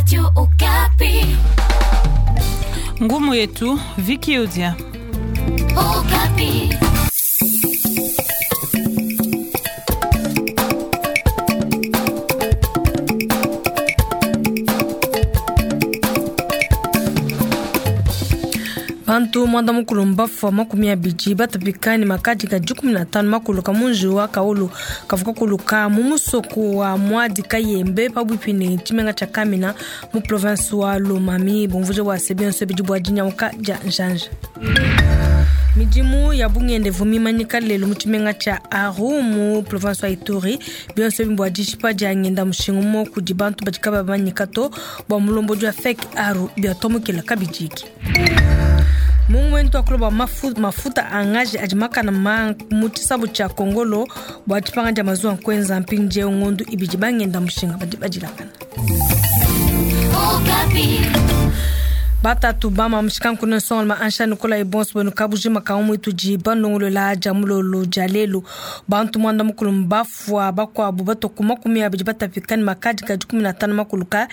Radio Okapi. Ngumu yetu Viki Odia. Okapi. Bantu mwanda mukulu mbafua 20 batapika ne makadi ka 15 makuluka munji wa kaulu kavuka kuluka mu musoko wa mwadi kayembe pabuipi ne tshimenga tshia kamina mu province wa lomami. Bumvuje bua se bionso bidi bua dinyanguka dia njanja. Midimu ya bungendevu mimanyika lelu mu tshimenga tshia Aru mu province wa Ituri. Bionso bimbo dishipa dia ngenda mushinga mo kudi bantu badi kabamanyika to bua mulombodi wa FEC Aru biatomukela kabidiki. Mungu wentu akuloba mafuta angaje adi makana ma mu tshisabu tshia kongolo bua tshipanga dia mazuwa nkwenza mpindieu ngondu ibidi bangenda mushinga badi badilakana. Okapi. Batatu bama mushikanku nsonga ma ansha nikola ibonso benu kabujima ka umwitu di bandongolola dia mulolo dia lelu. Bantu mwanda mukulu mbafua bakwabu batoku 20 batapika ne makadi ka 15 makuluka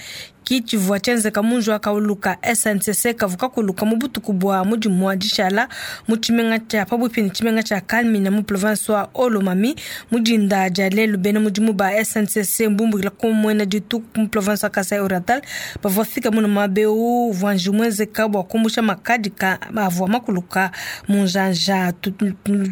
kitshivua tshienzeka munji wa kauluka SNCC kavuka kuluka mu butuku bua mudimu wa dishala mu tshimenga tshia pabuipi ne tshimenga tshia Kalmina mu province wa Olomami. Mudinda dia lelu bena mudimu ba SNCC mbumbukila ku muena dituku mu province wa Kasai Oriental bavua fika muno mabeu uvua mwenzeka bua kumbusha makadi ka avua makuluka mu njanja.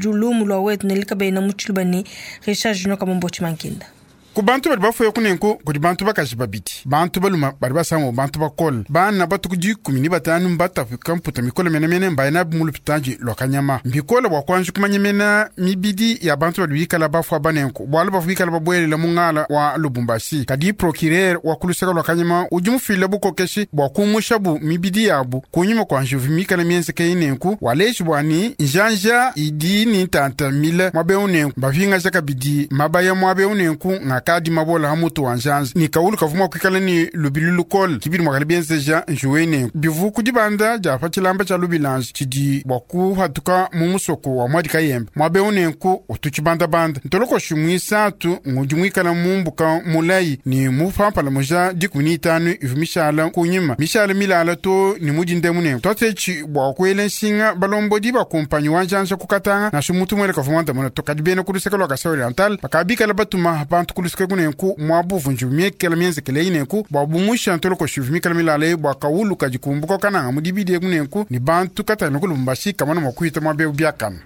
Lumu lua wetu nelika bena mu tshiluba ne Richard Junior Kamombo Tshimankinda. Ku bantu badi bafuya kunenku kudi bantu bakaji babidi, bantu baluma badi basango bantu bakole bana batuku 15 mbatapika mputa mikole menemene mbaye nabu mu lupitadi lua kanyama. Mbikole bua kuanji kumanyemena mibidi ya bantu badi bikala bafua banenku bualu bavua bikala babuelela mu ngala wa Lubumbashi. Kadi procureur wa kuluseka lua kanyama udi mufile bukokeshi bua kumushabu mibidi yabu kunyima kua njuvu mikala mienzeke inenku waleji bua ni njanja idi ni ntanta mile mwabeu nenku bavingaja kabidi mabaya mwabeu nenku ngakadi mabola ha mutu wa njanza ni kaulu kavuma kwikala ni lubilu lukole kibidi mwakala bienzeja njuwe nenku bivu kudibanda dia pa tshilamba tshia lubilanji tshidi bua kuhatuka mu musoko wa mwadi kayembe mwabeu nenku utu tshibandabanda ntolokoshi mwisatu ngudi mwikala mumbuka mulayi ni mupampala muja 15 ivu mishala kunyima mishala milala to ni mudindemu nenku twatsetshi bua kuela nshinga balombodi bakumpanyi wa njanja kukatanga nasho mutu mwele kavuma ndamona to kadi bena kuluseka lua Kasai Oriental bakabikala batuma bantu kuluseka kunenku mwabuvu njuvu miekela mienzekele inenku bua bumusha ntolokoshi ivu mikala milala bua kaulu kadi kumbuka kananga mudibidi kunenku ni bantu katana ku Lubumbashi kamana mua kuhita mwabeu biakana.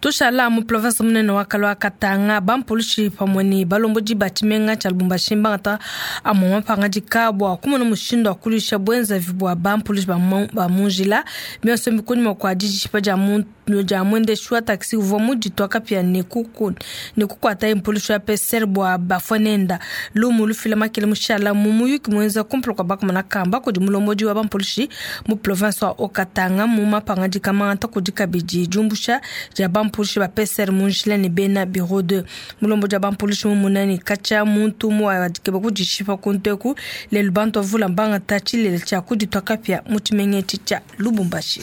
Tushala mu province munene wa Kalwa Katanga bampulushi pamwe ne balombodi ba tshimenga tshia Lubumbashi mbangata amwe mapangadika bua kumona mushindu wa kulusha bwenzavi bua bampulushi ba munjila bionso mbikunyima kua dijishipa dia muntu dia mwendeshi wa taxi uvua muditua kapia ne kukuata impulushi wa PCR bua bafua nenda. Lumu lufila makele mushala mu muyuki mwenza kumpala kua bakumana kamba kudi mulombodi wa bampulushi mu province wa Okatanga mu mapangadika mangata kudi kabidi diumbusha dia bampulushi ba PCR munjila ne bena bureau 2. Mulombodi wa bampulushi mumunani katshia muntu muwadikeba kudishipa kunteku lelu bantu bavula mbangata tshilele tshia kuditua kapia mu tshimenga etshi tshia Lubumbashi.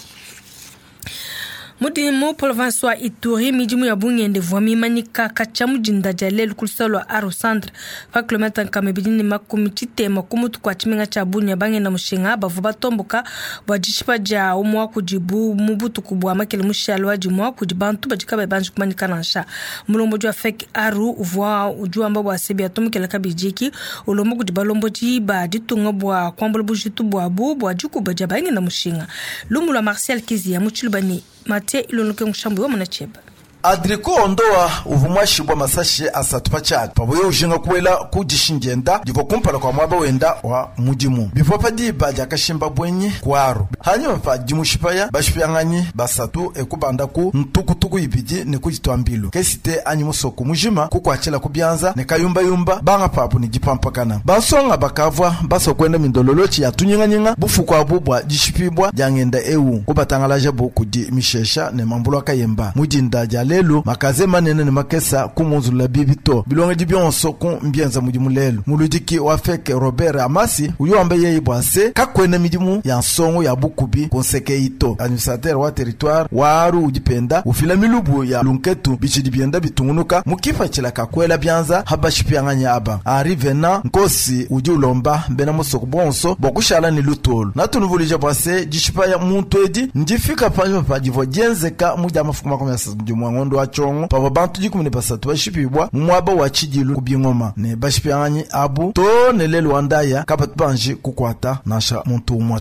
Mudimu province wa Ituri midimu ya bungende vua mimanyika katshia mudinda dia lelu ku luseke lua Aro Centre pa kilomita 260 ku mutu kua tshimenga tshia Bunia. Bangenda mushinga bavua batomboka bua dishipa dia umue wa kudibu mu butuku bua makele mushala wa dimue kudi bantu badi kabayi banji kumanyika nansha. Mulombodi wa FEC Aru uvua udi wamba bua se biatomokela kabidiki ulomba kudi balombodi ba ditunga bua kuambula bujitu buabu bua dikuba dia bangenda mushinga. Lumu lua Marcel Kizia mu tshiluba ne Mathieu Ilonoke Mushambu wa Munacheba. Adriko ondoa uvumwashibwa masashi asatu pachali pabuye ujinga kuwela kudishinjenda divo kumpala kwa mwaba wenda wa mudimu bivua pa diba diakashimba bwenyi kwaru hanyuma pa dimushipaya bashipyanganyi basatu ekubanda ku ntukutuku ibidi ne kuditwambilu kesite anyi musoko mujima kukwachila kubyanza ne kayumbayumba banga pabu ne dipampakana bansonga bakavua basokwenda mindololochi ya tunyinganyinga bufuku abu bua dishipibwa diangenda ewu kubatangalaja bu kudi mishesha ne mambulu akayemba mudinda dia. lelu makaze manene ne makesa ku munzulula bibi to bilongedi bionso ku mbienza mudimu lelu. Muludiki wa FEC Robert Amasi udi wamba yeye bua se kakuena midimu ya nsongo ya bukubi ku nseke ito. Administrateur wa territoire wa Aru udi penda ufila milubu ya lunketu bitshidi bienda bitungunuka mu kipatshila kakuela bianza habashipianganya aba. Henri Venant Nkosi udi ulomba bena musoko bonso bua kushala ne lutulu. Natunuvuluija bua se dishipa ya muntu edi ndifika panyima pa divua dienzeka mu dia mafuku 31 ngondo wa tshiongo pavua bantu 13 bashipibwa mu muaba wa tshidilu ku bingoma ne bashipianganyi abu to ne lelu wa ndaya kabatu banji kukuata nansha muntu umue.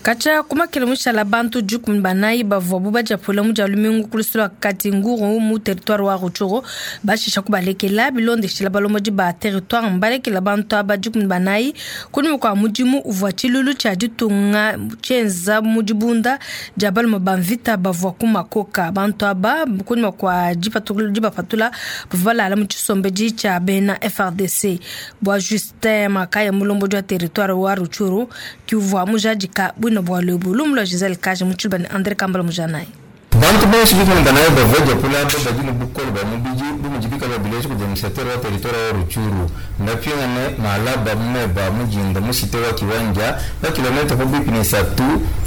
Kacha kumakela mushala bantu 14 bavua bajapula mu dia lumingu ku lusu lua Katinguru mu territoire wa Rutshuru bashisha kubalekela bilondeshela balombodi ba territoire mbalekela bantu aba 14 kunyima kua mudimu uvua tshilulu tshia ditunga tshienza mu dibunda dia balume ba mvita bavua ku makoka. Bantu aba kunyima kua dibapatula bavua balala mu tshisombedi tshia bena FRDC. Bua Justin Makaya mulombodi wa territoire wa Rutshuru kiuvua mujadika bwino bwa lubu lumu lwa Giselle Kaje mu tshiluba ne André Kambala mujanayi. Bantu bonso bikundana bavua japula aba badi ne bukole bwa mubidi bu mudi bikala bileja kudi administrateur wa territoire wa Rutshuru ndapingane malaba mumeba mujinda mu cité wa Kiwanja ba kilomita pabuipi ne satu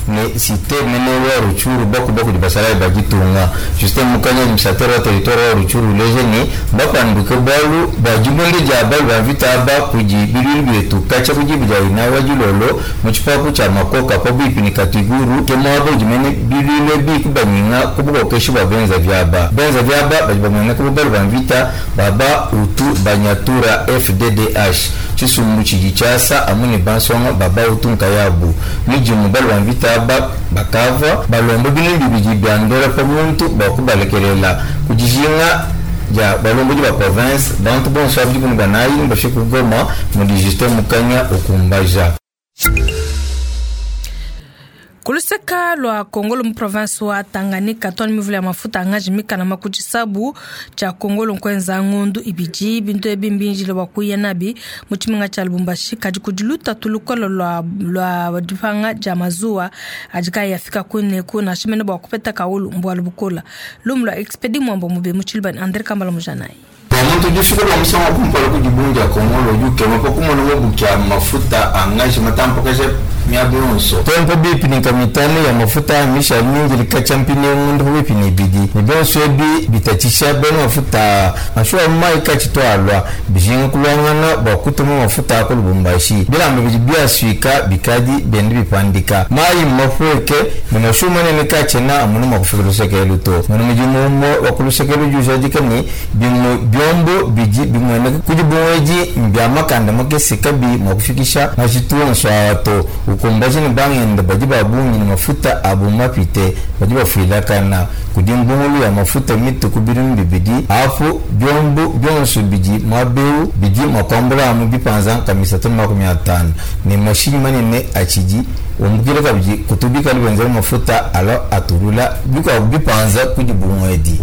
ne cité mene wa Rutshuru bakuba kudi basalayi ba ditunga. Justin Mukanya administrateur wa territoire wa Rutshuru uleja ne bapanduke bualu bua dibunde dia balu ba mvita aba kudi bilulu bietu katshia ku dibu dia ina wa dilolo mu tshipapu tshia makoka pabuipi ne Katiguru ke muaba udi mene bilulu ebi kubanyinga ku bukokeshi bua benza vyaba. Benza vyaba badi bamweneka bubalu ba mvita baba utu banyatura FDDH tshisumbu tshidi tshiasa amu ne bansonga baba utu nkayabu midimu balu ba mvita aba bakava balomba bintu bibidi bia ndola pa muntu bua kubalekelela kudijinga dia balombodi ba province bantu bonso abidi kunu banayi bafike ku Goma mudi Justin Mukanya ukumbaja. Kuluseka lwa Kongolo mu province wa Tanganyika twani mivula ya mafuta angaji mikana makutshisabu tshia Kongolo nkwenza ngondu ibidi bintu ebi mbinjile bua kuya nabi mu tshimenga tshia Lubumbashi kadi kudi lutatu lukolo lwa lwa dipanga dia mazuwa adi kayi afika kuneku nansha mene bua kupeta kaulu mbualu bukola. Lumu lua Expedi Mwambo mube mu tshiluba ne André Kambala mujanayi. Pamuntu udi ufika bua musangu wa kumpala ku dibundu dia Kongolo udi ukema pa kumona mabuki a mafuta angaji matampakaja miaba yonso tompa bipi ne kamitano ya mafuta mishali mingi likatshia mpindieu ngondu pabuipi ne ibidi ne bionso ebi bitatshisha bena mafuta mashuwa mayi katshitualua bijinga kulwangana bua kutuma mafuta a ku Lubumbashi bilamba bidi biasuika bikadi bienda bipandika mayi mmapueke ne mashuwa manene katshiena amuna mua kufika lusekelu to muna mudimu umue wa ku lusekelu udi ujadika ne bimue biombo bidi bimueneka kudi bungwedi mbia makanda makese kabi mua kufikisha majitu onso awa to ukumbaji ne bangenda badi ba bungi ne mafuta abu mapite badi bafuilakana kudi mbungulu ya mafuta mitu ku bidimu bibidi apu biombo bionso bidi muaba eu bidi mua kuambula amu bipanza nkamisatu ne 50 ne mashinyi manene atshidi umbukile kabidi kutubikala benzela mafuta alo atulula bikuabu bipanza kudi bungwedi.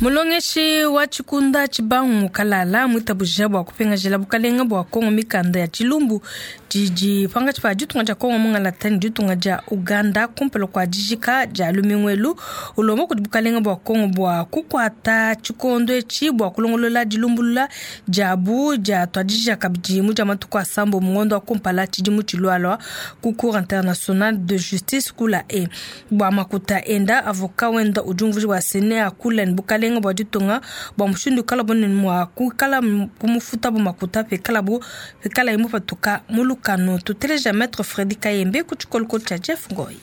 Mulongeshi wa tshikunda tshibangu kalala mwitabuja bua kupingajila bukalenga bua Kongo mikanda ya tshilumbu didi pangatshi pa ditunga dia Kongo mungalata ne ditunga dia Uganda kumpala kua dijika dia lumingu ulomba kudi bukalenga bua Kongo bua kukuata tshikondo etshi bua kulongolola dilumbulula diabu dia tuadija kabidi mu dia matuku asambo mu ngondo wa kumpala tshidimu tshilualua ku Cour internationale de justice kula e bua makuta enda avocat wenda udi umvuija bua sene akula ne bukalenga bua ditunga bua mushindu ikala bunene mua kuikala kumufuta bu makuta pikalabu pikala imupatuka mu lukano. Tuteleja Maître Fredi Kayembe ku tshikolokolo tshia Jeff Ngoi.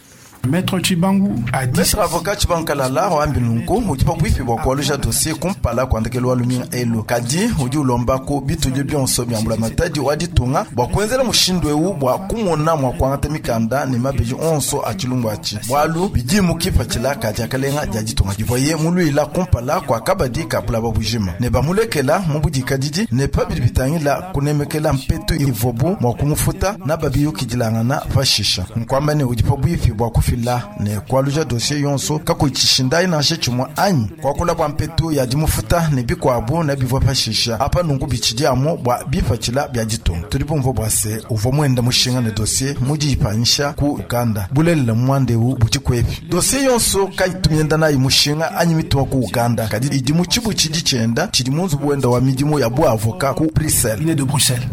Maître Tshibangu a dit Maître avocat Tshibangu Kalala wambi nunku udi pabuipi bua kualuja dossier kumpala kuandekelu wa lumingu elu kadi udi ulomba ku bitudi bionso bia mbulamatadi wa ditunga bua kuenzela mushindu eu bua kumona mua kuangata mikanda ne mabeji onso a tshilumbu atshi bualu bidi mu kipatshila ka diakalenga dia ditunga divuaye muluila kumpala kua kabadi ka bulaba bujima ne bamulekela mu budikadidi ne pabidi bitangila kunemekela mpetu ivuabu mua kumufuta na babiyukidilangana pashisha nkuamba ne udi pabuipi bua kufila kufila ne kualuja dossier yonso kakuyi tshishindayi nansha tshimue anyi kuakula bua mpetu ya dimufuta ne bikuabu ne bivua pashisha apa nunku bitshidi amu bua bipatshila bia ditunga. Tudi bumvua bua se uvua muenda mushinga ne dossier mu diyipanyisha ku Uganda. Bulelela muanda eu budi kuepi? Dossier yonso kayitu mienda nayi mushinga anyi mituma ku Uganda, kadi idi mu tshibutshidi tshienda tshidi mu nzubu wenda wa midimu ya bu avocat ku Bruxelles. de Bruxelles.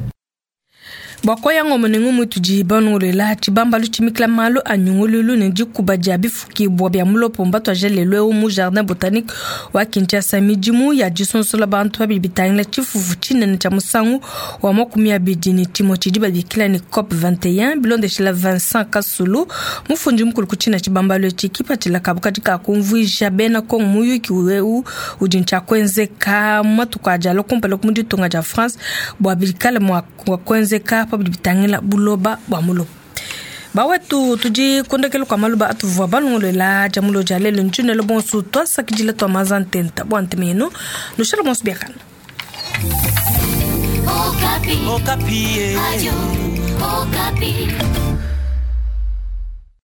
Bua kuaya ngoma ne ngumu itudi banongoluela, tshibambalu tshimikila malu a nyungululu ne dikuba dia bifukibua bia mulopo mbatuaje lelu eu mu Jardin Botanique wa Kinshasa midimu ya disonsola bantu pa bidi bitangila tshifufu tshinene tshia musangu wa 21 tshidi babikila ne COP 21 bilondeshila Vincent Kasulu mufundi mukulu ku tshina tshibambalu etshi kipatshila kabu kadi kakumvuija bena Kongo muyuki eu udi ntshia kuenzeka mu matuku adi alua kumpala ku mu ditunga dia France bua bikale mua kuenzeka pa bidi bitangila buloba bua mulopo. Bawetu tudi kondekelo kwa maluba atuvua balongolola dia mulo dia lelo ntshunelo bonso twasakidila twa maza ntenta bua ntema yenu nushala bonso biakana. Okapi. Okapi. Radio Okapi.